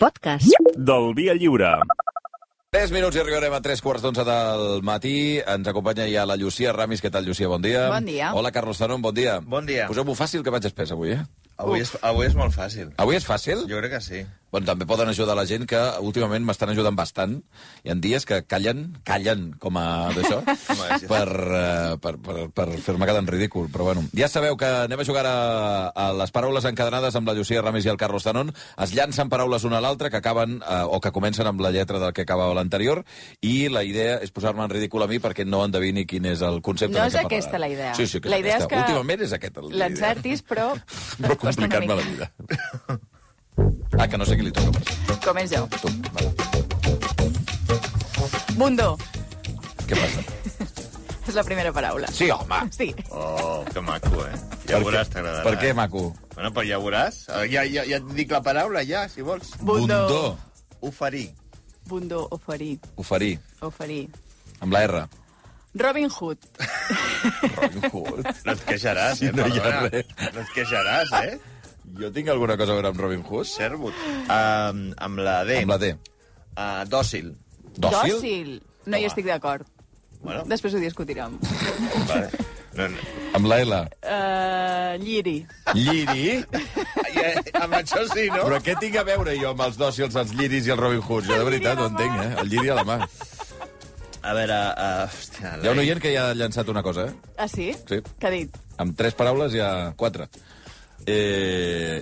podcast del Via Lliure. 3 minuts i arribarem a 3:15 del matí. Ens acompanya ja la Llucia Ramis. Què tal, Llucia? Bon dia. Bon dia. Hola, Carlos Zanon. Bon dia. Bon dia. Poseu-m'ho fàcil, que vaig espès avui, Avui és molt fàcil. Avui és fàcil? Jo crec que sí. Bueno, també poden ajudar la gent que últimament m'estan ajudant bastant. Hi ha dies que callen com a d'això, per fer-me quedar en ridícul. Però bueno, ja sabeu que anem a jugar a les paraules encadenades amb la Llucia Ramis i el Carlos Zanon. Es llancen paraules una a l'altra que acaben o que comencen amb la lletra del que acabava l'anterior, i la idea és posar-me en ridícul a mi perquè no endevini quin és el concepte no de què és aquesta la idea. Sí, que la idea és que últimament és aquesta la idea. l'encertis, però complicant-me la vida. Que no sé qui li toca. Començo. Tu, vale. Bundó. Què passa? És la primera paraula. Sí, home. Sí. Oh, que maco, Ja veuràs, t'agradarà. Per què, maco? Bueno, però ja veuràs. Ja et dic la paraula, ja, si vols. Bundó. Oferir. Bundó, oferir. Oferir. Oferir. Amb la R. Robin Hood. Robin Hood. No et queixaràs, No hi ha perdona. res. No et queixaràs, Jo tinc alguna cosa a veure amb Robin Hood? Servut. Amb la D. Amb la D. Dòcil. Dòcil? Dòcil. No hi estic d'acord. Bueno, Després ho discutirem. vale. No. Amb la L. Lliri. Lliri? Amb això sí, no? Però què tinc a veure jo amb els dòcils, els lliris i el Robin Hood? Jo de veritat no entenc, El lliri a la mà. A veure, hòstia... Hi ha un oient que ja ha llançat una cosa, Ah, sí? Sí. Què ha dit? Amb 3 paraules hi ha 4.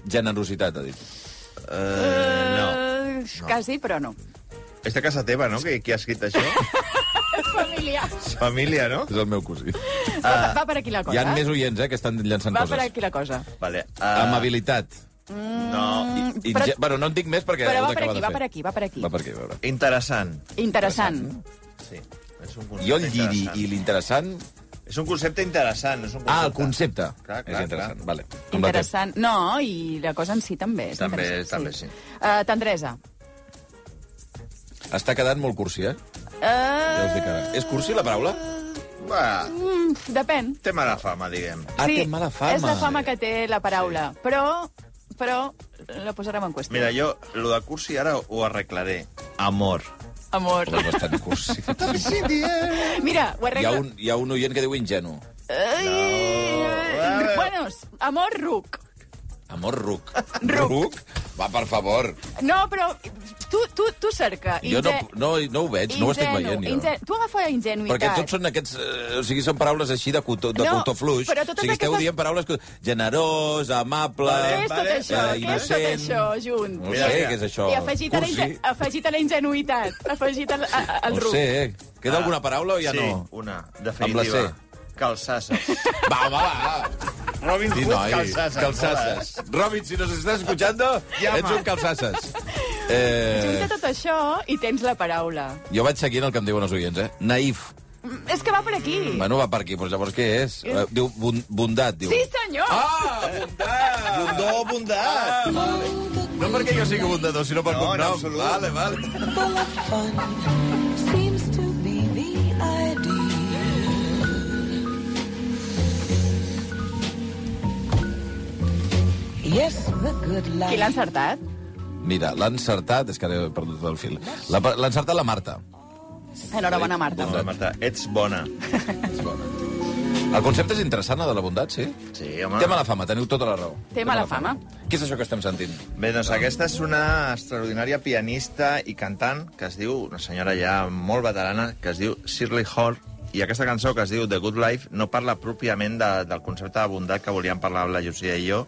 Generositat, ha dit. No. Quasi, però no. És de casa teva, no?, qui ha escrit això? És família. És família, no? És el meu cosí. Va per aquí la cosa. Hi ha més oients, que estan llançant Va per coses. aquí la cosa. Vale. Amabilitat. No. Però- Bueno, no en dic més perquè Però heu va per d'acabar aquí, de va fer. per aquí, va per aquí. Va per aquí, a veure. Interessant. Interessant. Sí. És un concepte Jo el lliri interessant. i l'interessant... És un concepte interessant. És un concepte. El concepte. Clar, És interessant, clar. vale. Interessant. No, i la cosa en si també. És També, interessant, també sí. Tendresa. Està quedant molt cursi, Ja us dic ara. És cursi, la paraula? Va, Depèn. té mala fama, diguem. Té mala fama. És la fama que té la paraula. Però la posarem en qüestió. Mira, jo, lo de cursi ara ho arreglaré. Amor. Amor. És bastant cursi. Mira, ho arreglo. Hi ha un oient que diu ingenu. Bueno, amor ruc. Amor ruc. Ruc. Va, per favor. No, però tu cerca. Jo no ho veig, no ho estic veient, jo. Tu agafa ingenuïtat. Perquè tots són aquests... o sigui, són paraules així de cotó fluix. però O totes sigui, esteu aquestes- dient paraules generós, amable... Què és tot Vale, això? Què és tot innocent. això, junt? No sé què és això. I afegit a la ingenuïtat, afegit al No ruc. sé. Queda alguna paraula o ja sí, no? una, Amb la definitiva. C. Calçasses. Va, home, va. Robin Sí, Hood, noi, calçasses. calçasses. Robin, si nos estàs escuchando, Llama. ets un calçasses. Junta tot això i tens la paraula. Jo vaig seguint el que em diuen els oients, Naïf. És que va per aquí. Bueno, va per aquí, però llavors què és? Diu bondat, diu. Sí, senyor! Ah, bondat! Bundó, bondat. No perquè jo sigui bondador, sinó pel No, en cognom. absolut. Vale. full of fun seems to be the idea. Yes, the good life. Qui l'ha encertat? Mira, l'ha encertat... És que ara he perdut el fil. L'ha encertat la Marta. Enhorabona, Marta. Bona, Marta, ets bona. El concepte és interessant, el de la bondat, sí? Sí, home. Té mala fama, teniu tota la raó. Té mala fama. Què és això que estem sentint? Bé, doncs aquesta és una extraordinària pianista i cantant que es diu, una senyora ja molt veterana, que es diu Shirley Hall, i aquesta cançó que es diu The Good Life no parla pròpiament del concepte de bondat que volíem parlar amb la Llucia i jo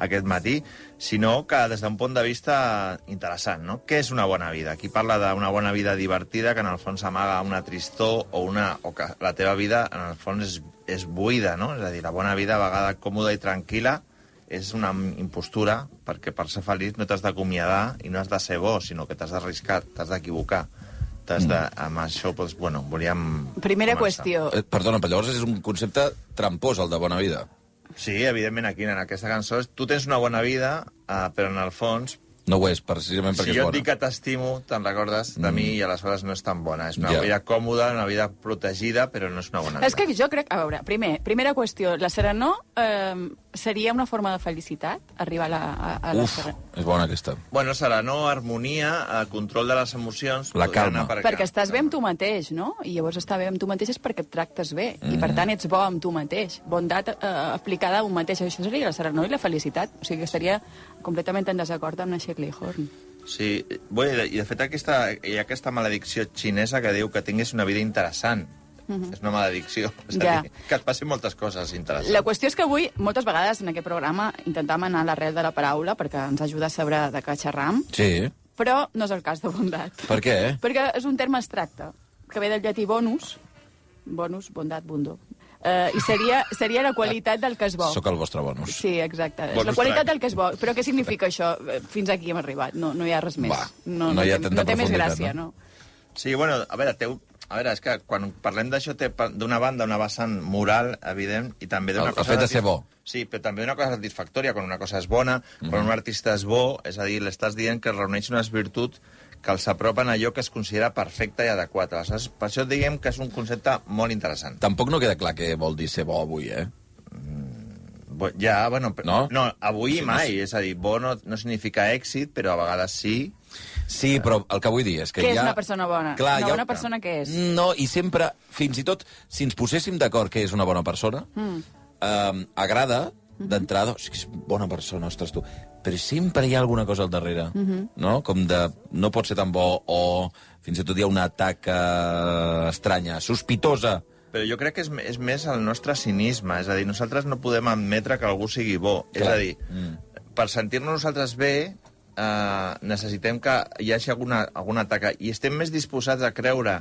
aquest matí, sinó que des d'un punt de vista interessant, no? Què és una bona vida? Aquí parla d'una bona vida divertida que en el fons amaga una tristor o que la teva vida en el fons és buida, no? És a dir, la bona vida a vegades còmoda i tranquil·la és una impostura perquè per ser feliç no t'has d'acomiadar i no has de ser bo, sinó que t'has d'arriscar, t'has d'equivocar. Amb això, doncs, bueno, volíem... Primera començar. qüestió. Perdona, però llavors és un concepte trampós, el de bona vida. Sí, evidentment, aquí en aquesta cançó tu tens una bona vida, però en el fons No ho és, precisament perquè si és jo et bona. dic que t'estimo, te'n recordes de mi i aleshores no és tan bona. És una Ja. vida còmoda, una vida protegida, però no és una bona vida. És que jo crec... A veure, primera qüestió. La Serenor seria una forma de felicitat, arribar a la Uf, és bona aquesta. Bueno, serà no harmonia, control de les emocions... La podria calma. anar per acá. Perquè estàs bé amb tu mateix, no? I llavors estar bé amb tu mateix és perquè et tractes bé. I per tant ets bo amb tu mateix. Bondat aplicada a un mateix. Això seria la serenor i la felicitat. O sigui que estaria completament en desacord amb la Shirley Horn. Sí, bueno, i de fet hi ha aquesta maledicció xinesa que diu que tinguis una vida interessant. És una maledicció. És a dir, que et passin moltes coses interessants. La qüestió és que avui, moltes vegades en aquest programa, intentàvem anar a l'arrel de la paraula perquè ens ajuda a saber de què xerram, Sí. però no és el cas de bondat. Per què? Perquè és un terme abstracte, que ve del llatí bonus, bondat, bundo, i seria la qualitat del que és bo. Sóc el vostre bonus. Sí, exacte. És Bonus la qualitat track. del que és bo. Però què significa això? Fins aquí hem arribat. No hi ha res més. Va, no hi ha tanta no té més profunditat, gràcia, no? no? Sí, bueno, a veure, és que quan parlem d'això té d'una banda una vessant moral, evident, i també d'una El cosa... fet de ser bo. Sí, però també una cosa satisfactòria, quan una cosa és bona, quan un artista és bo, és a dir, l'estàs dient que reuneix unes virtuts que els apropen a allò que es considera perfecte i adequat. Aleshores, per això diguem que és un concepte molt interessant. Tampoc no queda clar què vol dir ser bo avui, eh? Ja, bueno... No? No, avui Sí, mai. És a dir, bo no significa èxit, però a vegades sí. Sí, però el que vull dir és que Què hi és ha... una persona bona? Clar, Una hi ha- bona persona què és? No, i sempre, fins i tot, si ens poséssim d'acord que és una bona persona, agrada d'entrada, o sigui, és bona persona, ostres, tu, però sempre hi ha alguna cosa al darrere, no? Com de, no pot ser tan bo, o fins i tot hi ha una taca estranya, sospitosa. Però jo crec que és més el nostre cinisme. És a dir, nosaltres no podem admetre que algú sigui bo. Clar. És a dir, per sentir-nos nosaltres bé, necessitem que hi hagi alguna taca. I estem més disposats a creure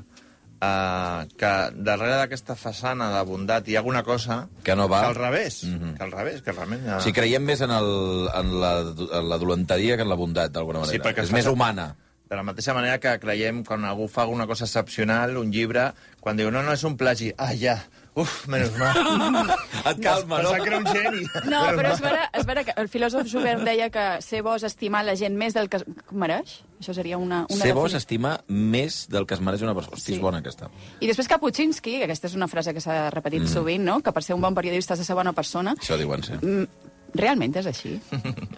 que darrere d'aquesta façana de bondat hi ha alguna cosa Que no va. que al revés. Que al revés, que realment... O sigui, creiem més en la dolenteria que en la bondat, d'alguna manera. Sí, perquè és més humana. De la mateixa manera que creiem quan algú fa alguna cosa excepcional, un llibre, quan diu, no, és un plagi. Ah, ja, uf, menys mal. Et calma, no? Pensava que era un geni. No, però és vera que el filòsof Schubert deia que ser bo és estimar la gent més del que mereix. Això seria una Ser bo és definició. estimar més del que es mereix una persona. Hosti, Sí. és bona aquesta. I després Kapuscinski, que aquesta és una frase que s'ha repetit sovint, no? Que per ser un bon periodista has de ser bona persona. Això diuen, sí. Realment és així.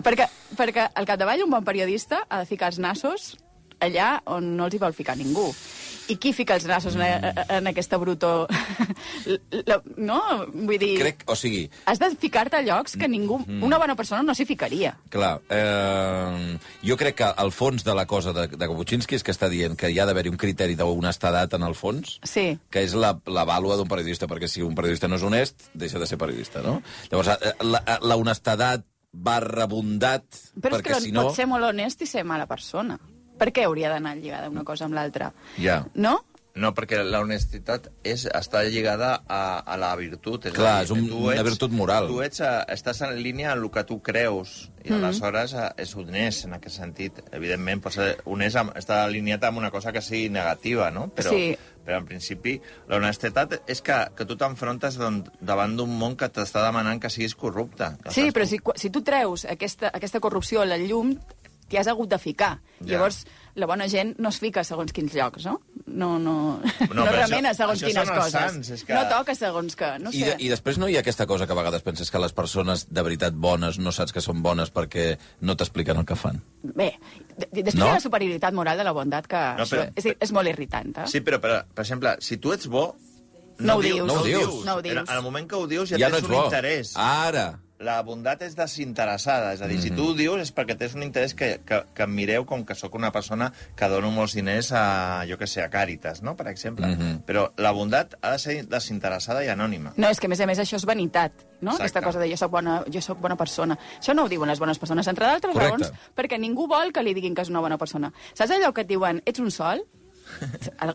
perquè al capdavall un bon periodista ha de ficar els nassos allà on no els hi vol ficar ningú. I qui fica els nassos en aquesta brutó? No? Vull dir... O sigui, Has de ficar-te a llocs que ningú, una bona persona no s'hi ficaria. clar, jo crec que el fons de la cosa de Kapuscinski és que està dient que hi ha d'haver-hi un criteri d'honestedat en el fons, Sí. que és la vàlua d'un periodista, perquè si un periodista no és honest, deixa de ser periodista, no? Llavors, la honestedat barra bondat, Però és perquè que si no... pot ser molt honest i ser mala persona. Per què hauria d'anar lligada una cosa amb l'altra? Ja. No? No, perquè la honestitat està lligada a la virtut. Clar, a dir, és una virtut moral. Tu estàs en línia amb el que tu creus, i aleshores és honest en aquest sentit. Evidentment, pot ser honest, està alineat amb una cosa que sigui negativa, no? Però, Sí. però en principi, la honestedat és que tu t'enfrontes davant d'un món que t'està demanant que siguis corrupte. Sí, Aleshores, però si tu treus aquesta corrupció a la llum, t'hi has hagut de ficar. Ja. Llavors, la bona gent no es fica segons quins llocs, no? No però remena això segons quines són els coses. sants, és que- No toca segons que... No sé. I després no hi ha aquesta cosa que a vegades penses que les persones de veritat bones no saps que són bones perquè no t'expliquen el que fan. Bé, després No? hi ha la superioritat moral de la bondat, que No, però- és molt irritant. Sí, però, per exemple, si tu ets bo... No ho dius. No ho dius. No ho dius. En el moment que ho dius ja, Ja no tens ets un bo. interès. Ara. La bondat és desinteressada, és a dir, si tu ho dius és perquè tens un interès que em mireu com que sóc una persona que dono molts diners a, jo que sé, a Càritas, no?, per exemple. Però la bondat ha de ser desinteressada i anònima. No, és que a més això és vanitat, no? Exacte. Aquesta cosa de jo soc bona persona. Això no ho diuen les bones persones, entre d'altres Correcte. raons, perquè ningú vol que li diguin que és una bona persona. Saps allò que et diuen, ets un sol?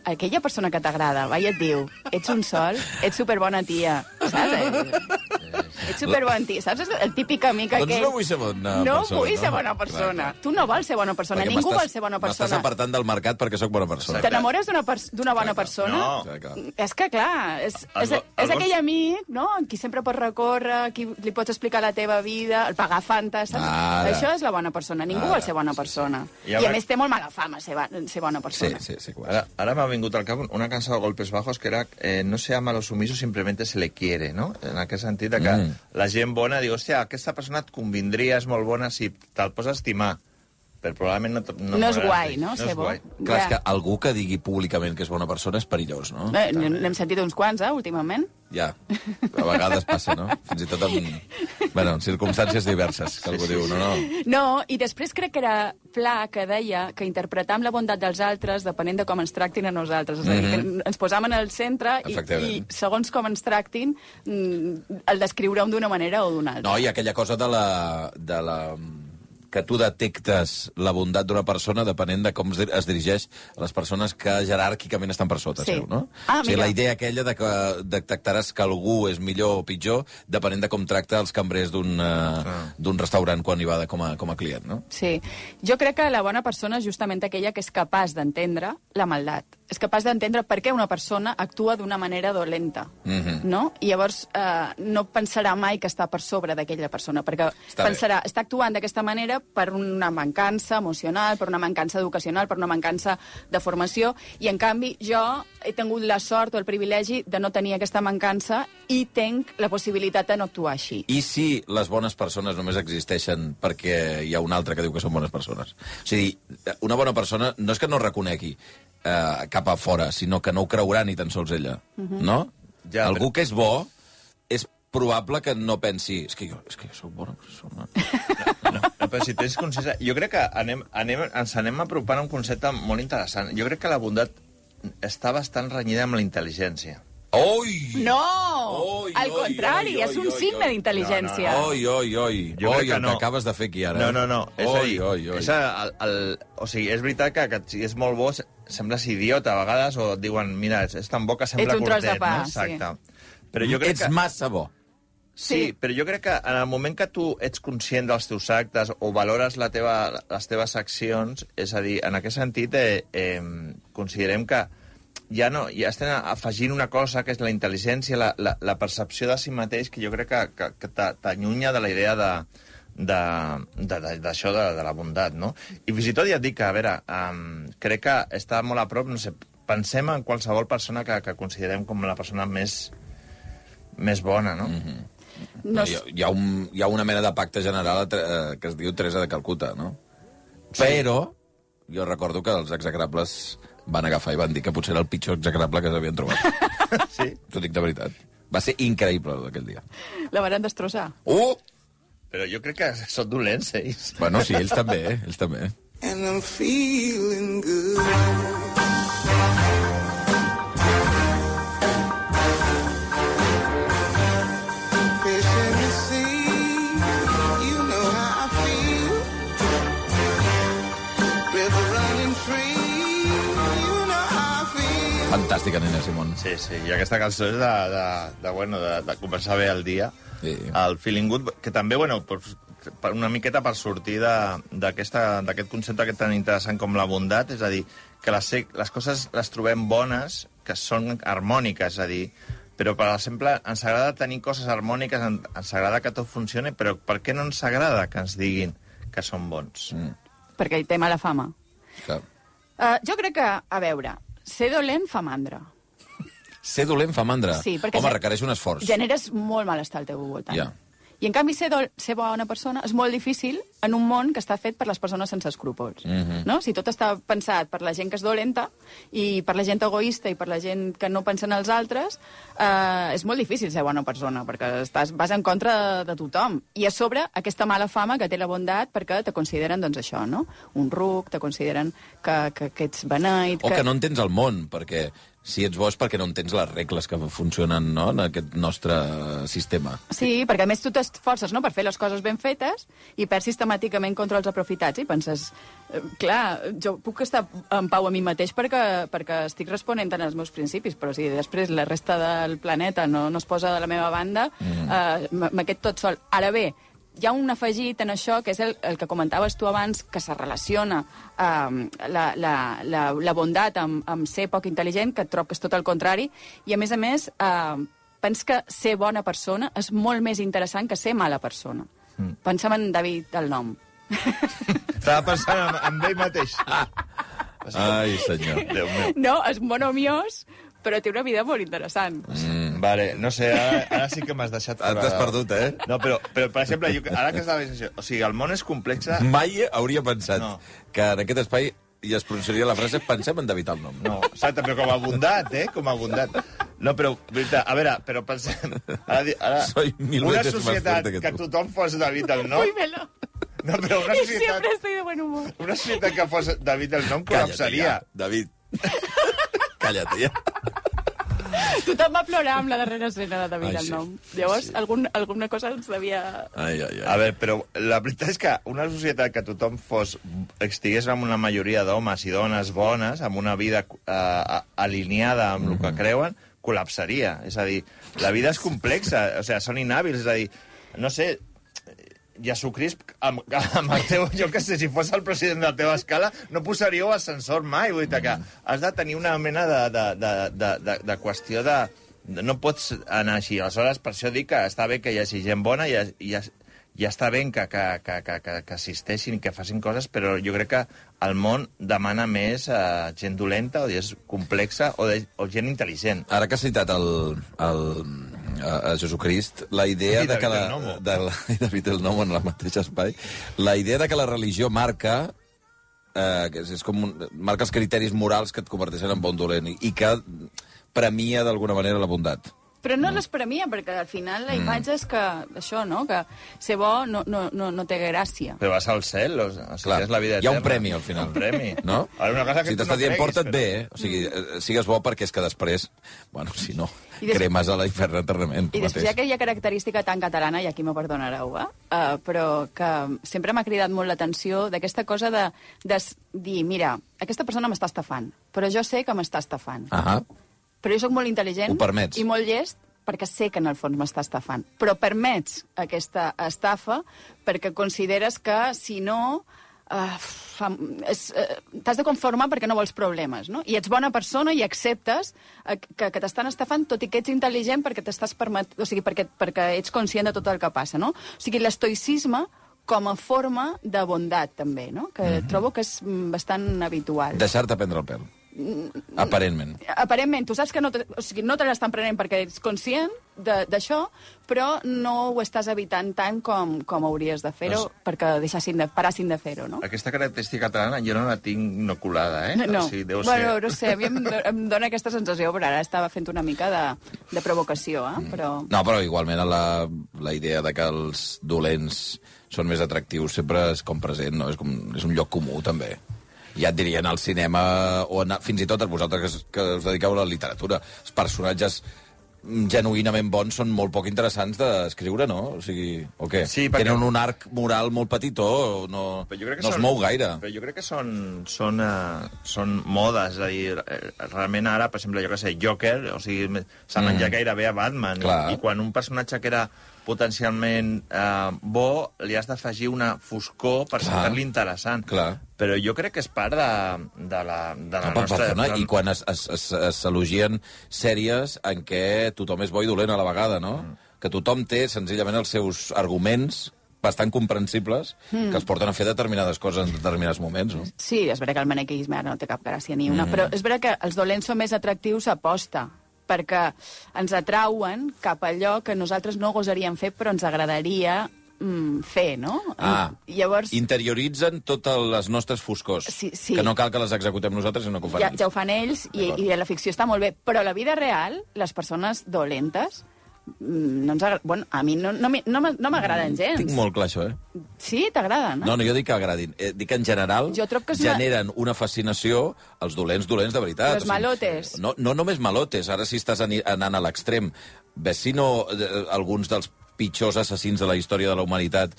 Aquella persona que t'agrada va i et diu, ets un sol, ets superbona tia, saps? Ets superbona tia, saps? El típic amic Doncs aquell... no vull ser bona No persona, vull no? ser bona persona. Clar, clar. Tu no vols ser bona persona, Perquè ningú m'estàs- vol ser bona M'estàs persona. apartant del mercat perquè sóc bona persona. T'enamores d'una bona persona? No. Clar, clar. És que, clar, és Els aquell amic, no?, amb qui sempre pots recórrer, qui li pots explicar la teva vida, el pagar Fanta, saps? Ara. Això és la bona persona. Ningú Ara, vol ser bona persona. I I a ara- més té molt mala fama ser bona Sí, persona. sí, que ho és. Ara m'ha vingut al cap una cançó de Golpes Bajos que era no se ama a los sumisos, simplemente se le quiere, no? En aquest sentit de que la gent bona diu, hòstia, aquesta persona et convindria, és molt bona, si te'l pots estimar. Però probablement no és guai, no? No és guai. Clar, és que algú que digui públicament que és bona persona és perillós, no? N'hem sentit uns quants, últimament. Ja, a vegades passa, no? Fins i tot en circumstàncies diverses, que algú diu, no. No, i després crec que era Pla que deia que interpretam la bondat dels altres depenent de com ens tractin a nosaltres. És a dir, que ens posam en el centre i segons com ens tractin, el descriurem d'una manera o d'una altra. No, i aquella cosa de la que tu detectes la bondat d'una persona depenent de com es dirigeix a les persones que jeràrquicament estan per sota seu, no? O sigui, la idea aquella de que detectaràs que algú és millor o pitjor depenent de com tracta els cambrers d'un restaurant quan hi va com a client, no? Sí. Jo crec que la bona persona és justament aquella que és capaç d'entendre la maldat. És capaç d'entendre per què una persona actua d'una manera dolenta, no? I llavors no pensarà mai que està per sobre d'aquella persona, perquè pensarà, està actuant d'aquesta manera per una mancança emocional, per una mancança educacional, per una mancança de formació, i en canvi jo he tingut la sort o el privilegi de no tenir aquesta mancança i tinc la possibilitat de no actuar així. I si les bones persones només existeixen perquè hi ha un altre que diu que són bones persones? O sigui, una bona persona no és que no reconegui cap a fora, sinó que no ho creurà ni tan sols ella, no? Ja, algú que és bo és probable que no pensi és que jo soc bona persona. No, però si tens consciència... Jo crec que ens anem apropant a un concepte molt interessant. Jo crec que la bondat està bastant renyida amb la intel·ligència. Oi! No! Al contrari, és un signe d'intel·ligència. Oi, Jo crec que el que acabes de fer aquí ara. No. És o sigui, és veritat que si és molt bo, sembles idiota a vegades, o et diuen, mira, és tan bo que sembla ets un tros de pa, no? Exacte. Però jo crec ets massa bo. Sí, però jo crec que en el moment que tu ets conscient dels teus actes o valores les teves accions, és a dir, en aquest sentit, considerem que ja estem afegint una cosa que és la intel·ligència, la percepció de si mateix, que jo crec que t'allunya de la idea d'això, de la bondat, no? I fins i tot ja et dic que, a veure, crec que està molt a prop, no sé, pensem en qualsevol persona que considerem com la persona més bona, no? No, hi ha una mena de pacte general que es diu Teresa de Calcuta, no? Sí. Però jo recordo que els execrables van agafar i van dir que potser era el pitjor execrable que s'havien trobat. Sí? T'ho dic de veritat. Va ser increïble aquell dia. La van destrossar. Però jo crec que són dolents, ells. Bueno, sí, ells també, ells també. And I'm feeling good. Fantàstica, Nina Simón. Sí, i aquesta cançó és de començar bé el dia. Sí. El Feeling Good, que també, una miqueta per sortir d'aquest concepte tan interessant com la bondat, és a dir, que les coses les trobem bones, que són harmòniques, és a dir, però, per exemple, ens agrada tenir coses harmòniques, ens agrada que tot funcioni, però per què no ens agrada que ens diguin que són bons? Perquè hi té mala fama. Clar. Jo crec que, a veure, ser dolent fa mandra. Ser dolent fa mandra? Sí, perquè home, requereix un esforç. Generes molt malestar al teu voltant. Ja. I, en canvi, ser bona persona és molt difícil en un món que està fet per les persones sense escrúpols. No? Si tot està pensat per la gent que és dolenta i per la gent egoista i per la gent que no pensa en els altres, és molt difícil ser bona persona, perquè vas en contra de tothom. I a sobre, aquesta mala fama que té la bondat perquè te consideren, doncs, això, no? Un ruc, te consideren que ets beneit... O que no entens el món, perquè si ets bo és perquè no entens les regles que funcionen, no?, en aquest nostre sistema. Sí, perquè a més tu t'esforces, no?, per fer les coses ben fetes i perds sistemàticament contra els aprofitats i penses, clar, jo puc estar en pau a mi mateix perquè estic responent als meus principis, però si després la resta del planeta no es posa de la meva banda, m'aquest tot sol. Ara bé, hi ha un afegit en això, que és el que comentaves tu abans, que se relaciona la bondat amb ser poc intel·ligent, que trobo que és tot el contrari, i a més, penso que ser bona persona és molt més interessant que ser mala persona. Pensa'm en David el nom. Estava pensant en ell mateix. Ai, senyor. Déu meu. No, és monomiós, però té una vida molt interessant. Vale, no sé, ara sí que m'has deixat fora. T'has perdut, eh? No, però per exemple, ara que estava dient això, o sigui, el món és complex... Mai hauria pensat que en aquest espai i es pronunciaria la frase pensem en evitar el nom. No, exacte, però com a bondat, Com a bondat. No, però, veritat, a veure, però pensem... Ara, Soy mil una veces más societat fuerte que tu. tothom fos David el nom... Cuímelo. No, però una Y societat... siempre estoy de buen humor. Una societat que fos David el nom Calla't, col·lapsaria. ja, David. Calla't, ja. Tothom va plorar amb la darrera escena de David Ai, el sí. nom. Llavors, alguna cosa ens devia... Ai, ai, ai. A veure, però la veritat és que una societat que tothom estigués amb una majoria d'homes i dones bones, amb una vida alineada amb el que creuen, col·lapsaria. És a dir, la vida és complexa, o sigui, són inhàbils, és a dir, no sé, Jesucrist, amb el teu, jo què sé, si fos el president de la teva escala, no posaríeu ascensor mai, vull dir que has de tenir una mena de qüestió de... No pots anar així. Aleshores, per això dic que està bé que hi hagi gent bona i ja està bé que assisteixin i que facin coses, però jo crec que el món demana més gent dolenta o és complexa o gent intel·ligent. Ara que has citat a Jesucrist, la idea I de que David el Nomo en el mateix espai, la idea de que la religió marca és com marca els criteris morals que et converteixen en bon dolent i que premia d'alguna manera la bondat. Però no les premia, perquè al final la imatge és que, això, no?, que ser bo no té gràcia. Però vas al cel, o sigui, Clar, és la vida hi ha eterna. un premi al final. Un premi. No? Ara, una cosa que Si tu t'està no dient creguis, porta't però- bé, o sigui, sigues bo perquè és que després, bueno, si no, I cremes a l'infern eternament. I després hi ha aquella característica tan catalana, i aquí me perdonareu, però que sempre m'ha cridat molt l'atenció d'aquesta cosa de dir, mira, aquesta persona m'està estafant, però jo sé que m'està estafant. Ahà. Però jo sóc molt intel·ligent Ho permets. i molt llest perquè sé que en el fons m'està estafant. Però permets aquesta estafa perquè consideres que, si no, t'has de conformar perquè no vols problemes, no? I ets bona persona i acceptes que t'estan estafant, tot i que ets intel·ligent perquè t'estàs o sigui, perquè ets conscient de tot el que passa, no? O sigui, l'estoïcisme com a forma de bondat, també, no? Que trobo que és bastant habitual. Deixar-te prendre el pèl. Aparentment. Aparentment, tu saps que no te l'estan prenent perquè ets conscient d'això, però no ho estàs evitant tant com hauries de fer-ho perquè parassin de fer-ho, no? Aquesta característica catalana jo no la tinc inoculada, No, O sigui, deu bueno, ser... no sé, a mi em dóna aquesta sensació, però ara estava fent una mica de provocació, però... No, però igualment la idea de que els dolents són més atractius sempre és com present, no? És un lloc comú, també. Ja et dirien al cinema, o fins i tot vosaltres que us dediqueu a la literatura. Els personatges genuïnament bons són molt poc interessants d'escriure, no? O sigui, o què? Sí, perquè... Tenen un arc moral molt petitó, no es mou gaire. Però jo crec que són modes, és a dir, realment ara, per exemple, jo que sé, Joker, o sigui, s'ha menjat gairebé a Batman, i quan un personatge que era potencialment bo, li has d'afegir una foscor per ser-li interessant. Clar. Però jo crec que és part de la nostra... Perdona, i quan s'elogien sèries en què tothom és bo i dolent a la vegada, no? Que tothom té senzillament els seus arguments bastant comprensibles que els porten a fer determinades coses en determinats moments, no? Sí, és veritat que el manequisme ara no té cap gràcia ni una, però és veritat que els dolents són més atractius a posta, perquè ens atrauen cap a allò que nosaltres no gosaríem fer, però ens agradaria fer, no? Llavors... Interioritzen totes les nostres foscors, Sí. que no cal que les executem nosaltres, sinó que ho fan ells. Ja ho fan ells, i la ficció està molt bé, però a la vida real, les persones dolentes, no ens bueno, a mi no m'agraden gens. Tinc molt clar, això, Sí? T'agraden, No, jo dic que agradin. Dic que en general Jo trobo que és generen una fascinació als dolents de veritat. Els malotes. No només malotes, ara si estàs anant a l'extrem. Ves si no alguns dels pitjors assassins de la història de la humanitat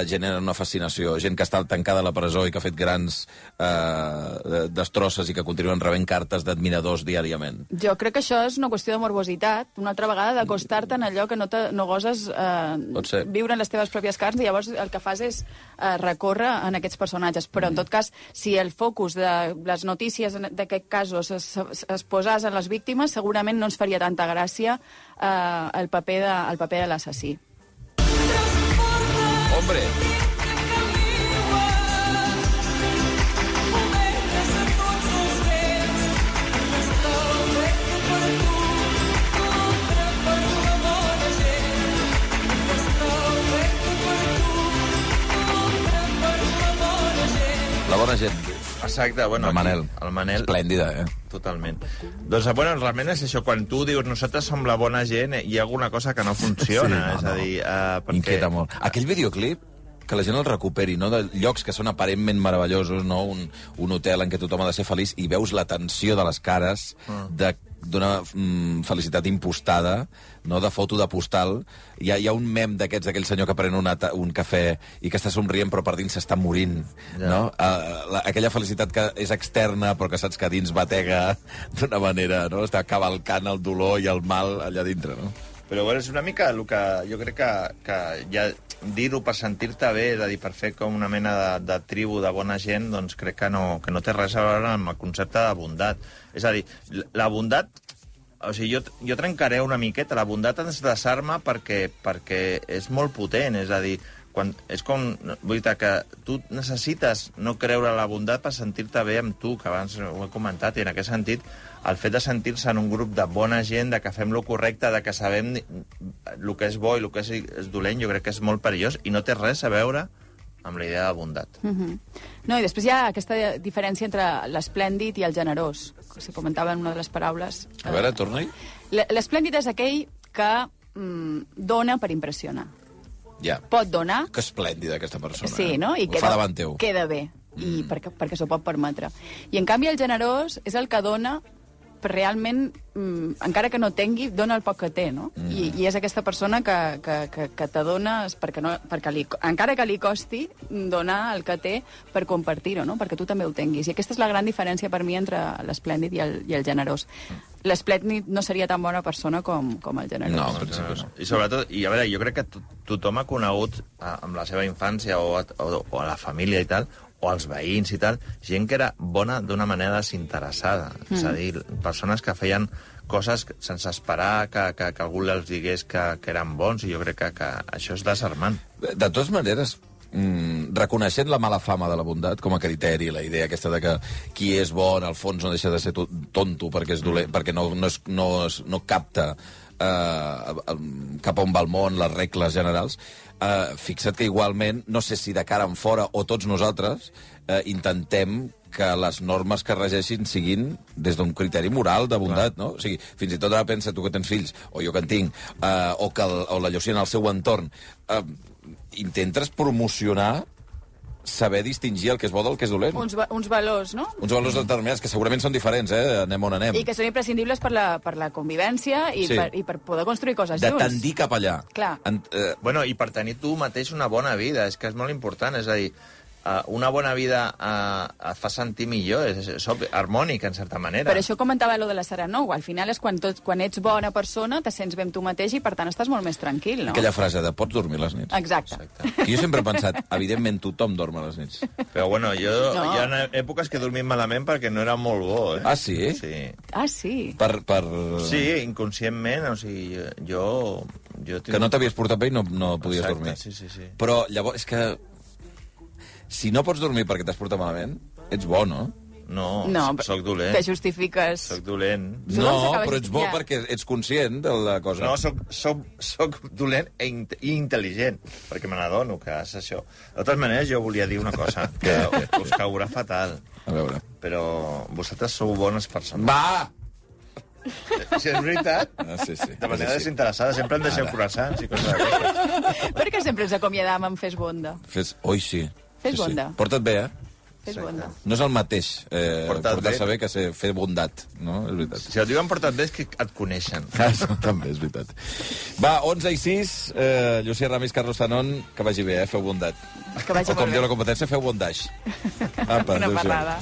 generen una fascinació. Gent que està tancada a la presó i que ha fet grans destrosses i que continuen rebent cartes d'admiradors diàriament. Jo crec que això és una qüestió de morbositat, una altra vegada d'acostar-te en allò que no goses viure en les teves pròpies carns, i llavors el que fas és recórrer en aquests personatges. Però, en tot cas, si el focus de les notícies d'aquest casos es posés en les víctimes, segurament no ens faria tanta gràcia el paper de l'assassí. Hombre! Exacte, bueno, El Manel. El Manel. Esplèndida, Totalment. Doncs, bueno, realment és això, quan tu dius nosaltres som la bona gent, hi ha alguna cosa que no funciona, és a dir... perquè... Inquieta molt. Aquell videoclip, que la gent el recuperi, no? De llocs que són aparentment meravellosos, no? Un hotel en què tothom ha de ser feliç, i veus la tensió de les cares d'una felicitat impostada, no? De foto de postal. Hi ha un mem d'aquests, d'aquell senyor que pren un cafè i que està somrient però per dins s'està morint, no? Aquella felicitat que és externa però que saps que dins batega d'una manera, no? Està cavalcant el dolor i el mal allà dintre, no? Però bueno, és una mica el que jo crec que ja dir-ho per sentir-te bé, és a dir, per fer com una mena de tribu de bona gent, doncs crec que no té res a veure amb el concepte de bondat. És a dir, la bondat... O sigui, jo trencaré una miqueta. La bondat ens desarma perquè és molt potent, és a dir, és com... Vull dir que tu necessites no creure la bondat per sentir-te bé amb tu, que abans ho he comentat, i en aquest sentit el fet de sentir-se en un grup de bona gent, de que fem lo correcte, de que sabem el que és bo i el que és dolent, jo crec que és molt perillós i no té res a veure amb la idea de bondat. No, i després hi ha aquesta diferència entre l'esplèndid i el generós, que se comentava en una de les paraules. A veure, torna-hi. L'esplèndid és aquell que dona per impressionar. Ja. Pot donar... Que esplèndida, aquesta persona. Sí, no? I ho fa davant teu. Queda bé, i perquè s'ho pot permetre. I, en canvi, el generós és el que dona realment, encara que no tingui, dona el poc que té, no? I és aquesta persona que te dona, encara que li costi, donar el que té per compartir-ho, no? Perquè tu també ho tinguis. I aquesta és la gran diferència per mi entre l'esplèndid i el generós. L'esplèndid no seria tan bona persona com el generós. No, en principi no. I sobretot, a veure, jo crec que tothom ha conegut amb la seva infància o a la família i tal, o als veïns i tal, gent que era bona d'una manera desinteressada. És a dir, persones que feien coses sense esperar que algú els digués que eren bons, i jo crec que això és desarmant. De totes maneres, reconeixent la mala fama de la bondat com a criteri, la idea aquesta de que qui és bo, en el fons, no deixa de ser tonto perquè és dolent, perquè no capta cap a on va el món, les regles generals, fixa't que igualment, no sé si de cara en fora o tots nosaltres, intentem que les normes que regeixin siguin des d'un criteri moral de bondat, no? O sigui, fins i tot ara pensa tu que tens fills, o jo que en tinc, o la Llucia en el seu entorn, intentes promocionar saber distingir el que és bo del que és dolent. Uns valors, no? Uns valors determinats, que segurament són diferents, anem on anem. I que són imprescindibles per la convivència i, Sí. i per poder construir coses De junts. tendir cap allà. Clar. Bueno, i per tenir tu mateix una bona vida, és que és molt important, és a dir, una bona vida et fa sentir millor, és harmònic, en certa manera. Per això comentava lo de la serenou. Al final és quan ets bona persona, te sents bé amb tu mateix i, per tant, estàs molt més tranquil, no? Aquella frase de pots dormir les nits. Exacte. Que jo sempre he pensat, evidentment tothom dorm a les nits. Però bueno, No. hi ha èpoques que he dormit malament perquè no era molt bo, Ah, sí? Sí. Ah, sí? Sí, inconscientment, o sigui, jo Que no t'havies portat bé i no podies Exacte, dormir. sí. Però llavors, és que si no pots dormir perquè t'has portat malament, ets bo, no? No, soc dolent. Te justifiques. Soc dolent. Tu No, doncs acabes- però ets bo ja. perquè ets conscient de la cosa. No, soc dolent i intel·ligent, perquè me n'adono que és això. De totes maneres, jo volia dir una cosa, que us caurà fatal, A veure. però vosaltres sou bones persones. Va! Si és veritat, Sí. de manera Sí. desinteressada, sempre em deixeu croissants i coses d'aquestes. Per què sempre ens acomiadam amb Fes Bonda? Oi, sí. Fes Sí. bonda. Porta't bé, Fes Bonda. No és el mateix Portar-te portar-se bé. bé que fer bondat, no? És veritat. Si et diuen portat bé és que et coneixen. També, és veritat. Va, 11:06, Llucia Ramis, Carlos Zanon, que vagi bé, feu bondat. Que vagi O com molt diu bé. la competència, feu bondage. Apa, Una adéu-siau. parlada.